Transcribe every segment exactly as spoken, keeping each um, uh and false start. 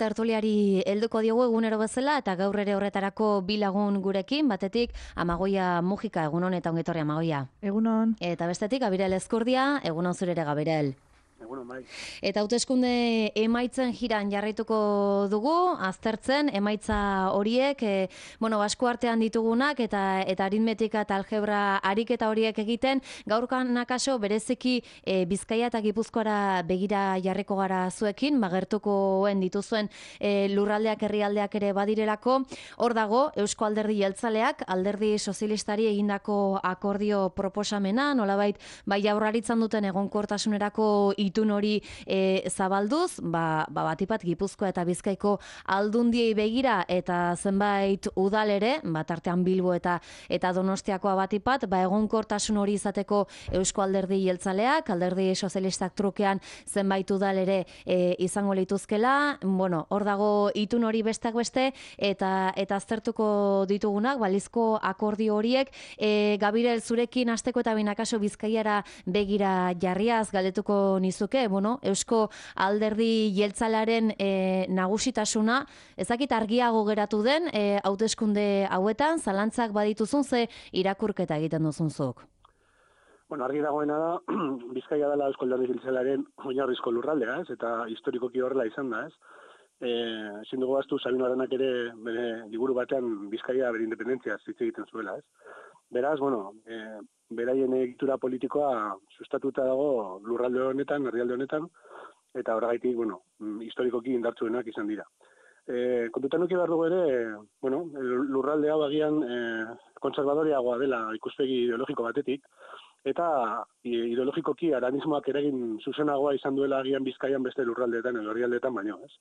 Tertuliari helduko diogu egunero bezala eta gaur ere horretarako bi lagun gurekin, batetik Amagoia Mujika, egunon eta ongetorri Amagoia. Egunon. Eta bestetik Gabirel Ezkurdia, egunon zure ere Gabirel. Egunon, bai. Eta hauteskunde emaitzen jiran jarraituko dugu, aztertzen emaitza horiek, e, bueno, basku artean ditugunak eta eta aritmetika eta algebra ariketa horiek egiten, gaurkan akaso bereziki e, Bizkaia eta Gipuzkoara begira jarriko gara zuekin, magertukoen dituzuen e, lurraldeak herrialdeak ere badirelako. Hor dago Eusko Alderdi Jeltzaleak Alderdi Sozialistari egindako akordio proposamena, nolabait bai Jaurlaritzan duten egonkortasunerako itun hori e, zabalduz, ba, ba batipat Gipuzkoa eta Bizkaiko aldundiei begira eta zenbait udal ere, bat artean Bilbo eta eta Donostiakoa batipat, ba egonkortasun hori izateko Eusko Alderdi Jeltzaleak, Alderdi Sozialistak trukean zenbait udal ere e, izango lituzkela. Bueno, hor dago itun hori besteak beste eta eta aztertuko ditugunak balizko akordio horiek. E, Gabirel, zurekin hasteko eta binakaso Bizkaiara begira jarriaz galdetuko nizuke, bueno, Eusko Alderdi Jeltzalearen e, nagusitasuna, ezakit argiago geratu den e, hauteskunde hauetan, zalantzak badituzun ze irakurketa egiten duzunzuk. Bueno, argi dagoena da, Bizkaia dela Eusko Alderdi Jeltzalearen oinarrizko lurraldea, ez? Eta historikoki horrela izan da, ez? Eh, ezin dugu ahaztu Sabino Aranak ere bere liburu batean Bizkaia bere independentzia hitz egiten zuela, ez? Beraz, bueno, eh, beraien egitura politikoa sustatuta dago lurralde honetan, herrialde honetan, eta horregaitik, bueno, historikoki indartsuenak izan dira. E, kontutan nuke behar dugu ere, bueno, lurralde hau agian e, konservadoreagoa dela ikuspegi ideologiko batetik, eta ideologikoki aranismoak eragin zuzenagoa izan duela agian Bizkaian beste lurraldeetan, edo herrialdeetan baino, ez?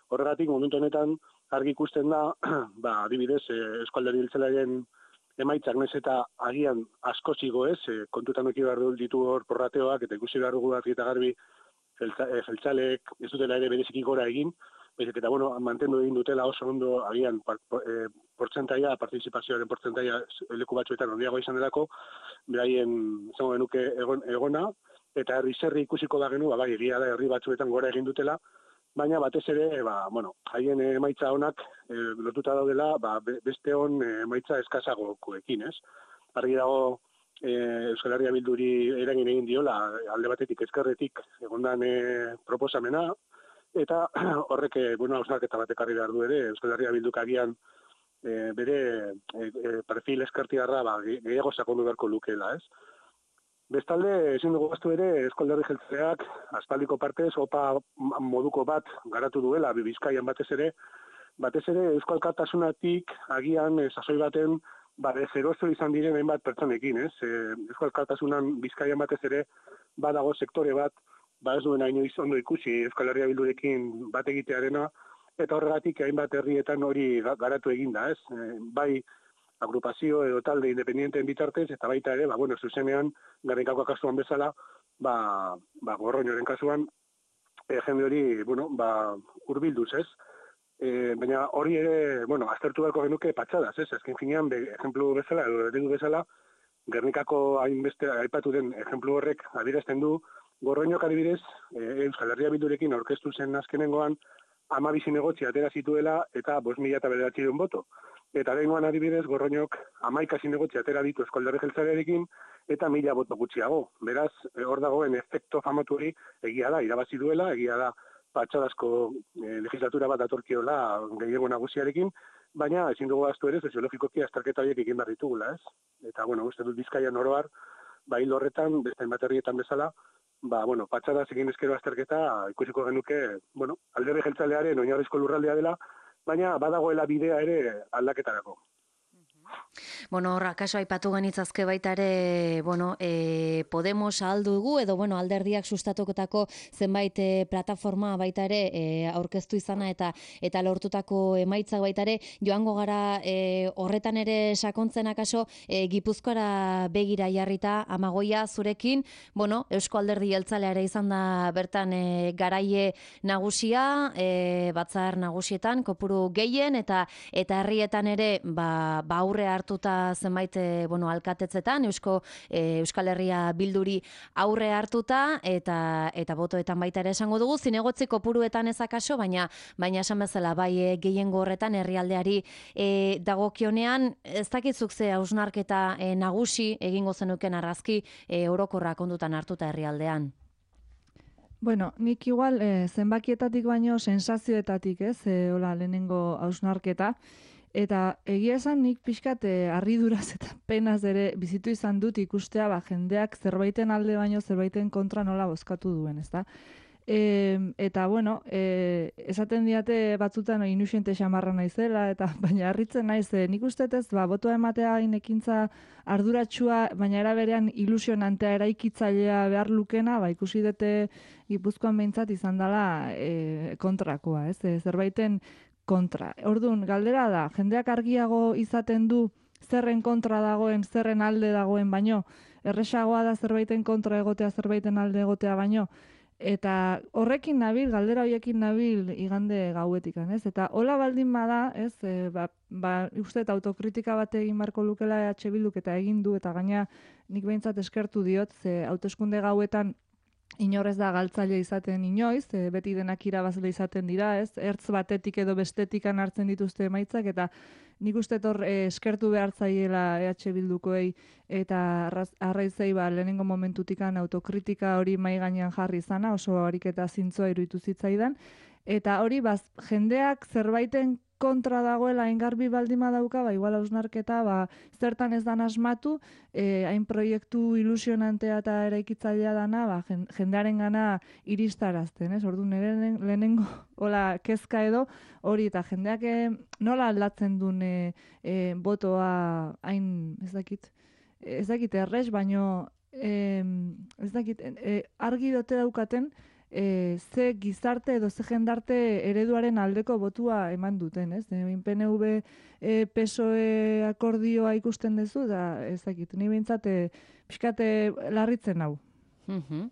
Horregatik, momentu honetan, argi ikusten da, ba, adibidez, Eusko Alderdi Jeltzalearen emaitzak nez eta agian asko zigo ez, e, kontutan eki behar ditu hor porrateoak, eta ikusi behar dugu argi eta garbi jeltzaleek ez dutela ere bereziki gora egin, baizik eta bueno, mantendu egin dutela oso ondo agian e, portzentaia, partizipazioaren portzentaia leku batzuetan handiago izan delako, beraien zango genuke egon, egona, eta herri zerri ikusiko da genu, ba, bai, egia da herri batzuetan gora egin dutela, baina batez ere, ba, bueno, haien emaitza honak e, lotuta daudela, ba, beste hon emaitza eskazagokoekin, ez? Argi dago e, Euskal Herria Bilduri eragin egin diola, alde batetik ezkerretik egondan e, proposamena, eta horrek, bueno, hausnarketa batek argi behar du ere, Euskal Herria Bilduk agian e, bere e, e, perfil ezkertiarra ba, gehiago sakondu beharko lukeela, ez? Bestalde, ezin dugu gaztu ere, Eusko Alderdi Jeltzaleak aspaldiko partez, opa moduko bat garatu duela, Bizkaian batez ere, batez ere Eusko Alkartasunatik agian sasoi baten bare zerozo izan diren hainbat pertsonekin, ez? E, Eusko Alkartasunan Bizkaian batez ere badago sektore bat, ba ez duena inoiz ondo ikusi Euskal Herria Bildurekin bat egitearena, eta horregatik hainbat herrietan hori garatu eginda, ez? E, bai, agrupazio edo talde independienteen bitartez, eta baita ere, ba, bueno, zuzenean, Gernikako kasuan bezala, ba, ba, Gorroñoren kasuan, e, jende hori, bueno, ba, urbilduz, ez? E, baina hori ere, bueno, aztertu beharko genuke patxadas, ez? Ezken finean, be, ejemplu bezala, edo eredu bezala, Gernikako hainbeste aipatu den ejemplu horrek adierazten du, Gorroñok adibidez, e, Euskal Herria Bildurekin aurkeztu zen azkenengoan, hamabi zinegotzi atera zituela eta bost mila eta bederatziehun boto. Eta lehengoan adibidez, Gorroñok hamaika zinegotzi atera ditu Eusko Alderdi Jeltzalearekin eta mila boto gutxiago. Beraz, hor dagoen efekto famatu hori egia da, irabazi duela, egia da patxadazko e, legislatura bat datorkiola gehiago nagusiarekin, baina ezin dugu ahaztu ere soziologikoki azterketa horiek egin behar ditugula, ez? Eta, bueno, uste dut Bizkaian oroar, ba hil horretan, beste hainbat herrietan bezala, ba, bueno, patxadaz egin ezkero azterketa ikusiko genuke, bueno, Alderdi Jeltzalearen oinarrizko lurraldea dela, baina badagoela bidea ere aldaketarako. Bueno, horra, kaso aipatu genitzazke baita ere, bueno, e, Podemos aldu dugu, edo, bueno, alderdiak sustatokotako zenbait e, plataforma baita ere e, aurkeztu izana eta eta lortutako emaitzak baita ere, joango gara e, horretan ere sakontzen akaso, e, Gipuzkoara begira jarrita, Amagoia zurekin, bueno, Eusko Alderdi Jeltzalea izan da bertan e, garaie nagusia, e, batzar nagusietan, kopuru gehien, eta eta herrietan ere, ba, ba aurre hartu hartuta zenbait e, bueno, alkatetzetan, Eusko e, Euskal Herria Bilduri aurre hartuta, eta eta botoetan baita ere esango dugu, zinegotzi kopuruetan ez akaso, baina baina esan bezala, bai e, gehiengo horretan herrialdeari e, dagokionean, ez dakitzuk ze hausnarketa e, nagusi egingo zenuken argazki e, orokorra kondutan hartuta herrialdean. Bueno, nik igual eh, zenbakietatik baino sensazioetatik, ez, eh, hola, lehenengo hausnarketa. Eta egia esan nik pixkat eh, harriduraz eta penaz ere bizitu izan dut ikustea ba, jendeak zerbaiten alde baino zerbaiten kontra nola bozkatu duen, ezta? E, eta, bueno, e, esaten diate batzutan no, inusiente xamarra naizela, eta baina harritzen naiz, e, nik ustetez, ba, botoa ematea inekintza arduratsua, baina era berean ilusionantea eraikitzailea behar lukena, ba, ikusi dute Gipuzkoan behintzat izan dela e, kontrakoa, ez? E, zerbaiten kontra. Orduan, galdera da, jendeak argiago izaten du zerren kontra dagoen, zerren alde dagoen baino, erresagoa da zerbaiten kontra egotea, zerbaiten alde egotea baino, eta horrekin nabil, galdera horiekin nabil igande gauetikan, ez? Eta hola baldin bada, ez? E, ba, ba, uste eta autokritika bat egin barko lukela E H Bilduk eta egin du, eta gaina nik behintzat eskertu diot, ze hauteskunde gauetan inorez da galtzaile izaten inoiz, e, beti denak irabazle izaten dira, ez? Ertz batetik edo bestetikan hartzen dituzte emaitzak, eta nik uste hor e, eskertu behar zaiela E H Bildukoei eta arraizei ba, lehenengo momentutikan autokritika hori mai gainean jarri izana, oso ariketa zintzoa iruditu zitzaidan, eta hori baz, jendeak zerbaiten kontra dagoela engarbi baldima dauka, ba, igual hausnarketa, ba, zertan ez dan asmatu, eh, hain proiektu ilusionantea eta eraikitzailea dana, ba, jendearen gana iristarazten, ez? Ordu nire lehenengo hola, kezka edo hori, eta jendeak eh, nola aldatzen duen eh, eh, botoa hain, ez dakit, ez dakit errez, baino eh, ez dakit, eh, argi dote daukaten, E, ze gizarte edo ze jendarte ereduaren aldeko botua eman duten, ez? E, P N V e, P S O E akordioa ikusten duzu, da ez dakit, ni behintzat e, pixkate larritzen hau. Uhum.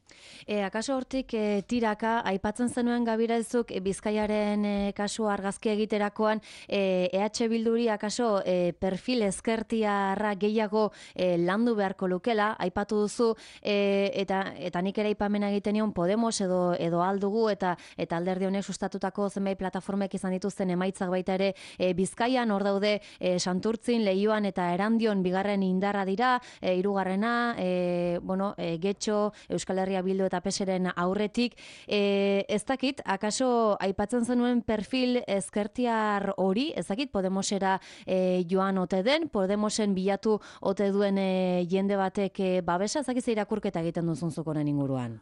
E, akaso hortik e, tiraka, aipatzen zenuen Gabiraizuk e, Bizkaiaren e, kasu argazki egiterakoan e, E H Bilduri akaso e, perfil ezkertiarra gehiago e, landu beharko lukela, aipatu duzu e, eta eta nik ere aipamena egiten nion Podemos edo edo aldugu eta eta alderdi honek sustatutako zenbait plataformek izan dituzten emaitzak baita ere e, Bizkaian hor daude e, Santurtzin, Leioan eta Erandion bigarren indarra dira, e, hirugarrena e, bueno, e, Getxo, Euskal Herria Bildu eta P S eren aurretik, e, ez dakit, akaso aipatzen zenuen perfil ezkertiar hori, ez dakit, Podemosera e, joan ote den, Podemosen bilatu ote duen e, jende batek e, babesa, ez dakit irakurketa egiten duzun zukonen inguruan?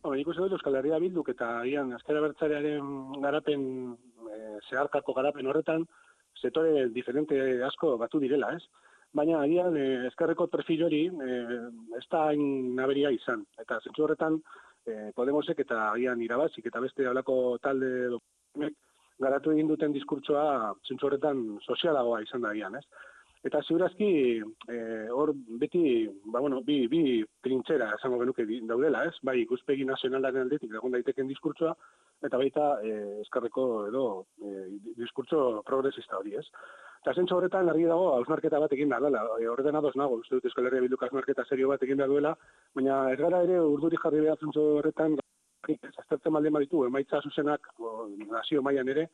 Hora, nik uste dut Euskal Herria Bilduk eta ian Ezker Abertzalearen garapen, e, zeharkako garapen horretan, setore diferente asko batu direla, ez? Baina agian eh, ezkerreko perfil hori eh, ez da hain naberia izan. Eta zentzu horretan eh, Podemosek eta agian irabazik eta beste halako talde dokumentek garatu egin duten diskurtsoa zentzu horretan sozialagoa izan da agian, ez? Eta ziurazki hor eh, beti, ba, bueno, bi, bi trintzera esango genuke daudela, ez? Bai, ikuspegi nazionalaren aldetik egon daiteken diskurtsoa, eta baita eh, ezkerreko edo eh, diskurtso progresista hori, ez? Eta zentzu horretan, argi dago, hausnarketa bat egin behar dela. Horretan ados nago, uste dut Euskal Herria Bilduk hausnarketa serio bat egin behar duela, baina ez gara ere urduri jarri behar zentzu horretan, aztertzen malden baditu, emaitza zuzenak, o, nazio mailan ere,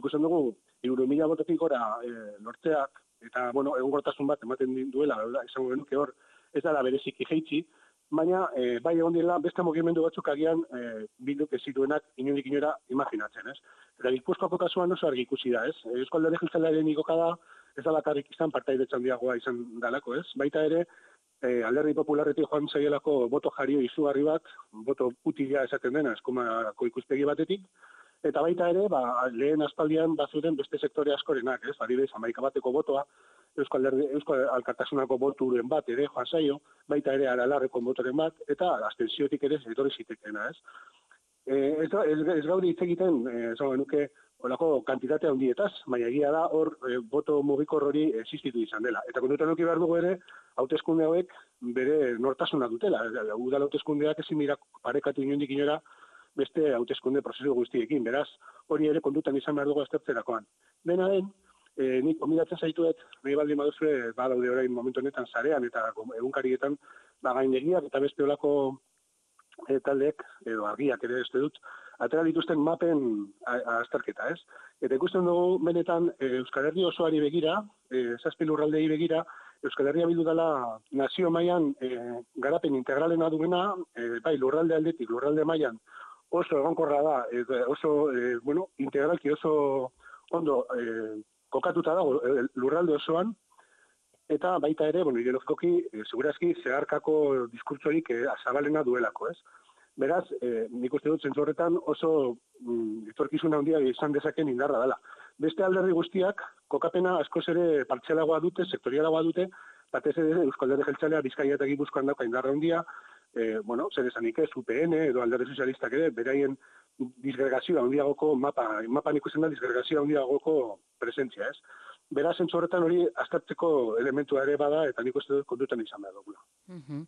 ikusten dugu, hiru mila bototik gora e, lortzeak, eta, bueno, egonkortasun bat ematen duela, izango genuke hor, ez dela bereziki jeitsi, baina e, bai egon dira beste mugimendu batzuk agian e, Bilduk ez zituenak inondik inora imaginatzen, ez? Eta Gipuzkoako kasuan oso argi ikusi da, ez? Eusko Alderdi Jeltzalearen igokada ez da bakarrik izan partaidetza handiagoa izan dalako, ez? Baita ere, e, Alderdi Popularretik joan zaielako boto jario izugarri bat, boto utila esaten dena, eskomako ikuspegi batetik, eta baita ere, ba, lehen aspaldian bazuten beste sektore askorenak, ez? Adibidez, hamaika bateko botoa, Euskal Alderdi, Euskal Alkartasunako boturen bat ere joan zaio, baita ere Aralarreko botoren bat, eta abstentziotik ere etorri zitekeena, ez? E, ez, ez, ez gauri hitz egiten, ez genuke, holako kantitatea handietaz, baina egia da hor e, boto mugikor hori existitu izan dela. Eta kontutan eduki behar dugu ere, hauteskunde hauek bere nortasuna dutela. Udal hauteskundeak ezin dira parekatu inondik inora beste hauteskunde prozesu guztiekin, beraz, hori ere kontutan izan behar dugu aztertzerakoan. Dena den, E, nik gomidatzen zaituet, nahi baldin baduzue, badaude orain momentu honetan sarean eta egunkarietan ba, gaindegiak eta beste olako e, taldeek, edo argiak ere beste dut, atera dituzten mapen azterketa, ez? Eta ikusten dugu benetan e, Euskal Herri osoari begira, e, zazpi lurraldei begira, Euskal Herria bildu dela nazio mailan e, garapen integralena duena, e, bai lurralde aldetik, lurralde mailan oso egonkorra da, e, oso, e, bueno, integralki oso ondo e, kokatuta dago lurralde osoan, eta baita ere, bueno, ideologikoki, e, segurazki, zeharkako diskurtsorik e, zabalena duelako, ez? Beraz, e, nik uste dut zentzu horretan oso mm, etorkizuna handia izan dezaken indarra dela. Beste alderdi guztiak, kokapena askoz ere partxelagoa dute, sektorialagoa dute, batez ere Euskal Alderdi Jeltzalea Bizkaia eta Gipuzkoan dauka indarra handia, e, bueno, zer esanik ez, U P N edo Alderdi Sozialistak ere, beraien disgregazioa handiagoko mapa, mapan ikusten da disgregazioa handiagoko presentzia, ez? Beraz, zentzu horretan hori aztertzeko elementua ere bada, eta nik uste dut kontutan izan behar dugula. Uh-huh.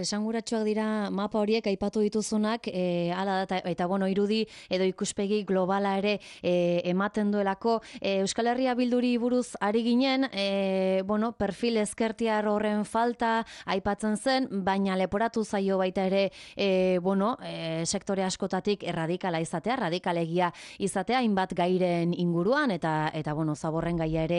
Esanguratsuak dira mapa horiek aipatu dituzunak, e, ala da, eta bueno, irudi edo ikuspegi globala ere e, ematen duelako. E, Euskal Herria Bilduri buruz ari ginen, e, bueno, perfil ezkertiar horren falta aipatzen zen, baina leporatu zaio baita ere, e, bueno, e, sektore askotatik erradikala izatea, radikalegia izatea, hainbat gairen inguruan, eta, eta bueno, zaborren gaia ere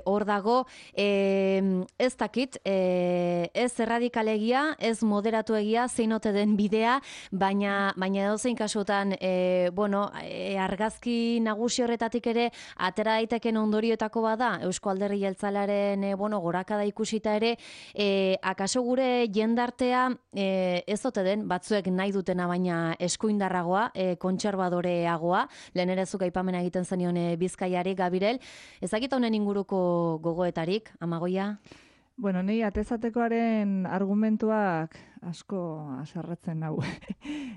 hor e, dago. E, ez dakit, e, ez erradikalegia, ez moderatu egia, zein ote den bidea, baina, baina edozein kasutan, e, bueno, e, argazki nagusi horretatik ere, atera daiteken ondorioetako bada, Eusko Alderdi Jeltzalearen, e, bueno, gorakada ikusita ere, e, akaso gure jendartea, e, ez ote den, batzuek nahi dutena baina eskuindarragoa, e, kontserbadoreagoa, lehen ere zuk aipamena egiten zenion e, Bizkaiari, Gabirel, ezagita honen inguruko gogoetarik, Amagoia? Bueno, nei atezatekoaren argumentuak asko aserretzen nau.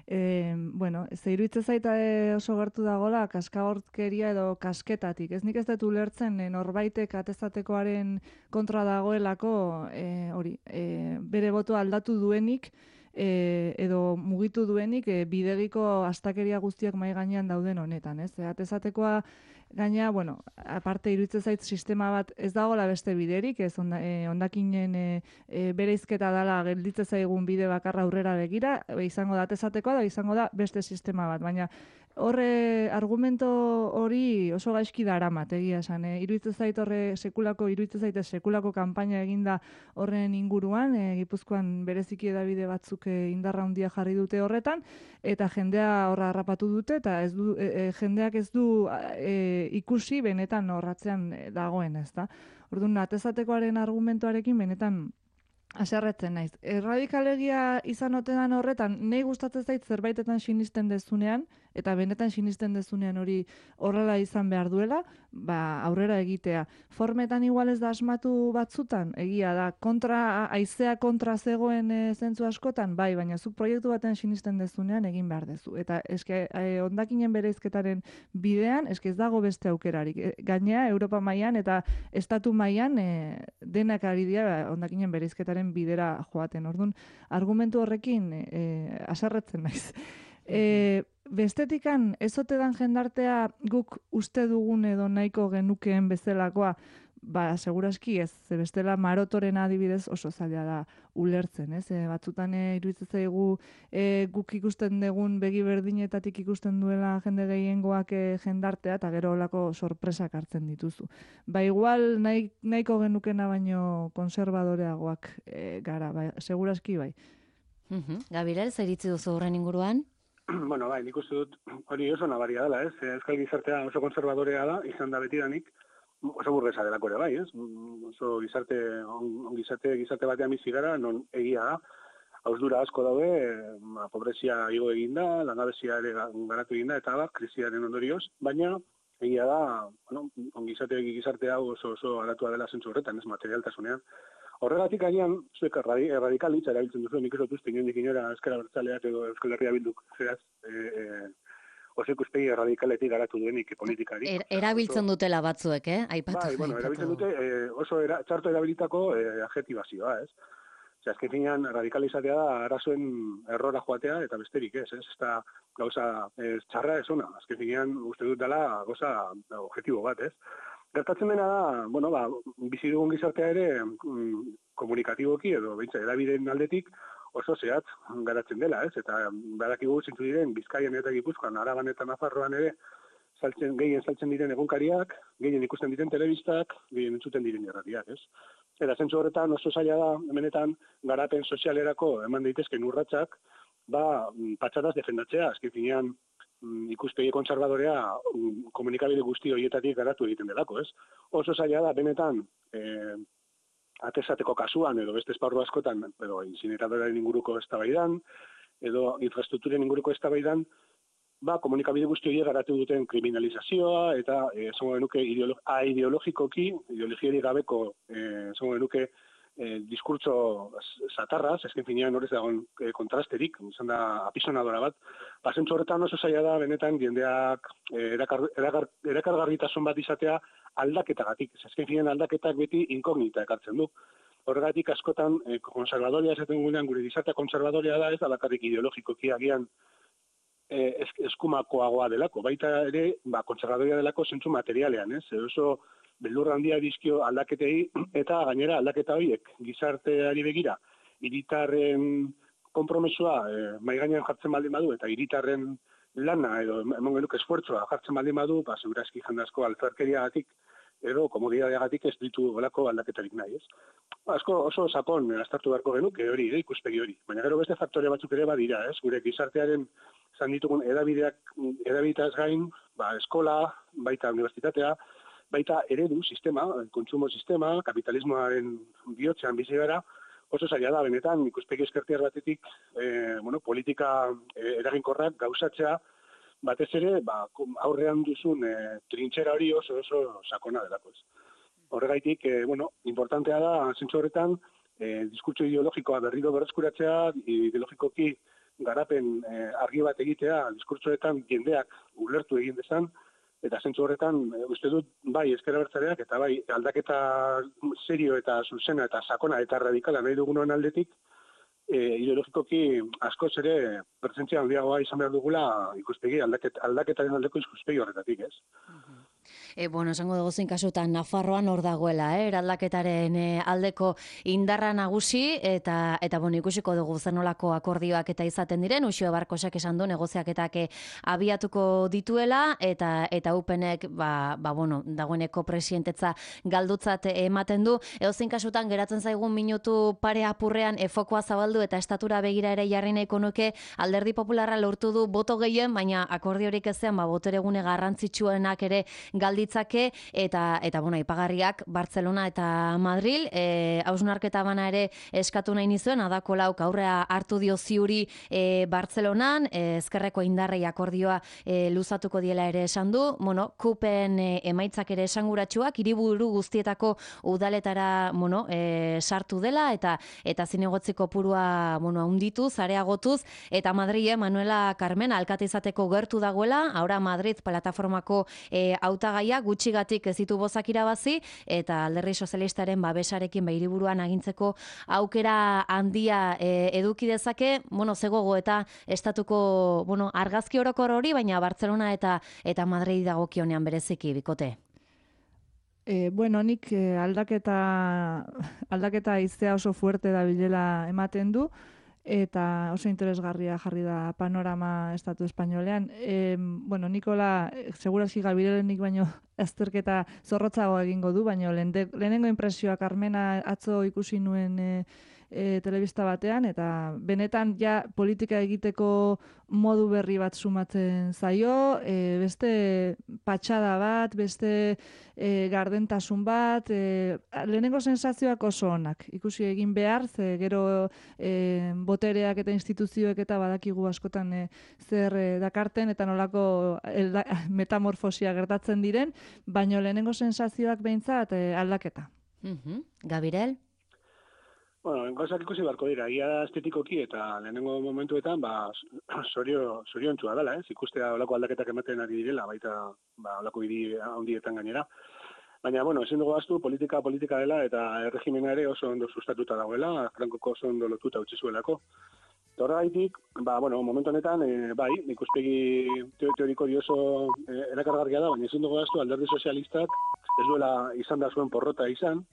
e, bueno, ze iruditzen zaita oso gertu dagola kaskagortkeria edo kasketatik. Ez nik ez dut ulertzen e, norbaitek atezatekoaren kontra dagoelako e, hori, e, bere botoa aldatu duenik e, edo mugitu duenik e, bidegiko astakeria guztiak mai gainean dauden honetan, ez? E, atezatekoa gaina, bueno, aparte iruditzen zait sistema bat ez dagoela beste biderik, ez onda, e, ondakinen e, e, bereizketa dela gelditzen zaigun bide bakarra aurrera begira, e, izango da atezatekoa da, izango da beste sistema bat, baina horre argumento hori oso gaizki daramat, egia esan, e, iruditzen zait horre sekulako, iruditzen zaite sekulako kanpaina eginda horren inguruan, e, Gipuzkoan bereziki edabide batzuk e, indarra handia jarri dute horretan, eta jendea horra harrapatu dute, eta ez du, e, e, jendeak ez du e, ikusi benetan horratzean dagoen, ez da. Orduan, atezatekoaren argumentuarekin benetan haserretzen naiz. Erradikalegia izan otedan horretan, nahi gustatzen zait zerbaitetan sinisten dezunean, eta benetan sinisten dezunean hori horrela izan behar duela, ba, aurrera egitea. Formetan igual ez da asmatu batzutan, egia da, kontra, aizea kontra zegoen e, zentzu askotan, bai, baina zuk proiektu baten sinisten dezunean egin behar dezu. Eta eske, e, ondakinen bereizketaren bidean, eske ez dago beste aukerarik. E, gainea, Europa mailan eta Estatu mailan e, denak ari dira ba, ondakinen bereizketaren bidera joaten. Orduan, argumentu horrekin e, haserretzen naiz. E, bestetikan, ez ote dan jendartea guk uste dugun edo nahiko genukeen bezalakoa, ba, seguraski ez, ze bestela marotoren adibidez oso zaila da ulertzen, ez? E, batzutan e, iruditzen zaigu e, guk ikusten dugun begi berdinetatik ikusten duela jende gehiengoak e, jendartea, eta gero olako sorpresak hartzen dituzu. Ba, igual nahi, nahiko genukena baino konservadoreagoak e, gara, ba, seguraski bai. Uh-huh. Gabirel, zer iritzi duzu horren inguruan? Bueno, bai, nik uste dut hori oso nabaria dela, ez? Euskal gizartea oso konservadorea da, izan da betidanik, oso burgesa delako ere bai, ez? Oso gizarte, on, on gizarte, gizarte batean bizi gara, non egia da, hausdura asko daude, ma, pobrezia igo eginda, langabezia ere garatu eginda, eta bat, krisiaren ondorioz, baina egia da, bueno, on gizarte, gizarte hau oso, oso garatua dela zentzu horretan, ez materialtasunean. Horregatik agian, zuek erradikalitza erabiltzen duzu, nik ez dut uste inondik inora Ezker Abertzaleak edo Euskal Herria Bilduk, zeraz, e, e, oso ikuspegi erradikaletik garatu duenik politikari. Er, erabiltzen oso, dutela batzuek, eh? Aipatu. Bai, bueno, erabiltzen dute e, oso era, txarto erabilitako e, adjetibazioa, ez? Zer, azken finean, radikalizatea da arazoen errora joatea eta besterik ez, ez? Ez da gauza ez, txarra ez ona, azken finean uste dut dela gauza objektibo bat, ez? gertatzen dena da, bueno, ba, bizi dugun gizartea ere mm, komunikatiboki edo beintza edabideen aldetik oso zehatz garatzen dela, ez? Eta badakigu zintzu diren Bizkaian eta Gipuzkoan, Araban eta Nafarroan ere saltzen, gehien saltzen diren egunkariak, gehien ikusten diren telebistak, gehien entzuten diren irratiak, ez? Eta zentzu horretan oso zaila da, hemenetan, garapen sozialerako eman daitezken urratsak, ba, patxadaz defendatzea, azken finean, ikuspegi kontserbadorea komunikabide guzti horietatik garatu egiten delako, ez? Oso zaila da, benetan, eh, atesateko kasuan, edo beste esparru askotan, edo incineratoraren inguruko eztabaidan, edo infrastrukturen inguruko eztabaidan, ba, komunikabide guzti horiek garatu duten kriminalizazioa, eta, eh, zango genuke, ideolo aideologikoki, ideologiari gabeko, eh, zango genuke, eh, diskurtso satarraz, esken finean horrez dagoen eh, kontrasterik, izan da apisonadora bat, pasentzu horretan oso zaila da, benetan, jendeak eh, erakar, erakar, erakargarritasun bat izatea aldaketagatik. Esken finean aldaketak beti inkognita ekartzen du. Horregatik askotan, eh, konservadoria esaten gunean, gure gizartea konservadoria da, ez da bakarrik ideologikoki agian eh, eskumakoagoa delako, baita ere, ba, konservadoria delako zentzu materialean, ez? Oso beldurra handia dizkio aldaketei, eta gainera aldaketa horiek gizarteari begira, hiritarren konpromesua eh, mai gainean jartzen baldin badu, eta hiritarren lana edo emon genuke esfuertzua jartzen baldin badu, ba, segurazki jendazko altzarkeriagatik edo komodidadeagatik ez ditu olako aldaketarik nahi, ez? Asko oso sakon aztertu beharko genuke hori, eh, ikuspegi hori. Baina gero beste faktore batzuk ere badira, ez? Gure gizartearen izan ditugun edabideak, edabidetaz gain, ba, eskola, baita unibertsitatea, baita eredu sistema, kontsumo sistema, kapitalismoaren bihotzean bizi gara, oso zaila da, benetan, ikuspegi ezkertiar batetik, eh, bueno, politika eh, eraginkorrak gauzatzea, batez ere, ba, aurrean duzun eh, trintxera hori oso oso sakona delako ez. Horregaitik, eh, bueno, importantea da, zentzu horretan, eh, diskurtso ideologikoa berriro berreskuratzea, ideologikoki garapen eh, argi bat egitea, diskurtsoetan jendeak ulertu egin dezan, eta zentzu horretan, e, uste dut, bai ezker abertzaleak, eta bai aldaketa serio eta zuzena eta sakona eta radikala nahi dugunoen aldetik, e, ideologikoki askoz ere pertsentzia handiagoa izan behar dugula ikuspegi, aldaket, aldaketaren aldeko ikuspegi horretatik, ez? Uh-huh. E, bueno, esango dugu zein kasutan Nafarroan hor dagoela, eh? Eraldaketaren eh, aldeko indarra nagusi, eta, eta bueno, ikusiko dugu zenolako akordioak eta izaten diren, Uxue Barkosak esan du negoziaketak abiatuko dituela, eta eta upenek, ba, ba, bueno, dagoeneko presidentetza galdutzat ematen du, edozein kasutan geratzen zaigun minutu pare apurrean efokoa zabaldu eta estatura begira ere jarri nahiko nuke, Alderdi Popularra lortu du boto gehien, baina akordiorik ezean, ba, boteregune garrantzitsuenak ere galditzake, eta, eta bueno, ipagarriak Bartzelona eta Madril, e, hausnarketa bana ere eskatu nahi nizuen, adako lauk aurrea hartu dio ziuri e, Bartzelonan, e, ezkerreko indarrei akordioa e, luzatuko diela ere esan du, bueno, kupen e, emaitzak ere esanguratsuak, hiriburu guztietako udaletara, bueno, e, sartu dela, eta eta zinegotziko purua, bueno, handituz, areagotuz, eta Madrile, Manuela Carmen, alkate izateko gertu dagoela, ahora Madrid plataformako e, hautagaia gutxigatik ez ditu bozak irabazi, eta Alderdi Sozialistaren babesarekin ba hiriburuan agintzeko aukera handia e, eduki dezake, bueno, zegogo eta estatuko, bueno, argazki orokor hori, baina Bartzelona eta eta Madrid dagokionean bereziki bikote. E, bueno, nik e, aldaketa aldaketa iztea oso fuerte da bilela ematen du, eta oso interesgarria jarri da panorama estatu espainolean. E, bueno, Nikola, segurazki Gabirolenik baino azterketa zorrotzago egingo du, baino lehenengo impresioa Carmena atzo ikusi nuen e, e, telebista batean, eta benetan ja politika egiteko modu berri bat sumatzen zaio, e, beste patxada bat, beste e, gardentasun bat, e, lehenengo sensazioak oso onak. Ikusi egin behar, ze gero e, botereak eta instituzioek eta badakigu askotan e, zer e, dakarten eta nolako elda, metamorfosia gertatzen diren, baino lehenengo sensazioak behintzat e, aldaketa. Uh-huh. Gabirel? Bueno, gauzak ikusi barko dira, ia estetikoki eta lehenengo momentuetan, ba, sorio, soriontsua dela, ez? Ikustea olako aldaketak ematen ari direla, baita ba, olako hiri handietan gainera. Baina, bueno, ezin dugu ahaztu, politika politika dela, eta erregimena ere oso ondo sustatuta dagoela, Frankoko oso ondo lotuta utzi zuelako. Eta horregaitik, ba, bueno, momentu honetan, e, bai, ikuspegi teo- teoriko oso e, erakargarria da, baina ezin dugu gaztu alderdi sozialistak ez duela izan da zuen porrota izan,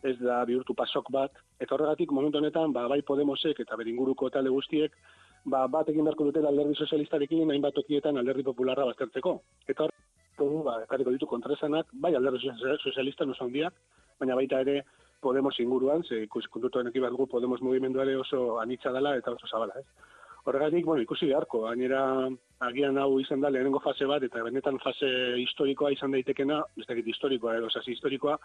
ez da bihurtu pasok bat, eta horregatik momentu honetan, ba, bai Podemosek eta beringuruko talde guztiek, ba, bat egin beharko dutela alderdi sozialistarekin hainbat tokietan alderdi popularra baztertzeko. Eta horregatik, ba, ekarriko ditu kontraesanak, bai alderdi sozialista oso handiak, baina baita ere Podemos inguruan, ze ikusi kontutu honekin bat dugu Podemos mugimenduare oso anitza dela eta oso zabala, ez? Horregatik, bueno, ikusi beharko, gainera agian hau izan da lehenengo fase bat, eta benetan fase historikoa izan daitekena, ez dakit historikoa edo sasi historikoa,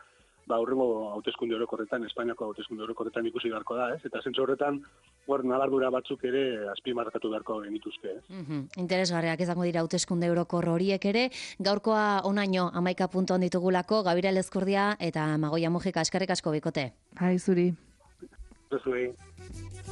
ba, aurrengo hauteskunde orokorretan, Espainiako hauteskunde orokorretan ikusi beharko da, ez? Eta zentzu horretan, hor nabardura batzuk ere azpimarrakatu beharko genituzke, ez? Mhm. Interesgarriak izango dira hauteskunde orokor horiek ere, gaurkoa onaino hamaika puntu ditugulako, Gabira Lezkurdia eta Magoia Mujika, eskerrik asko bikote. Hai, zuri. Zuei.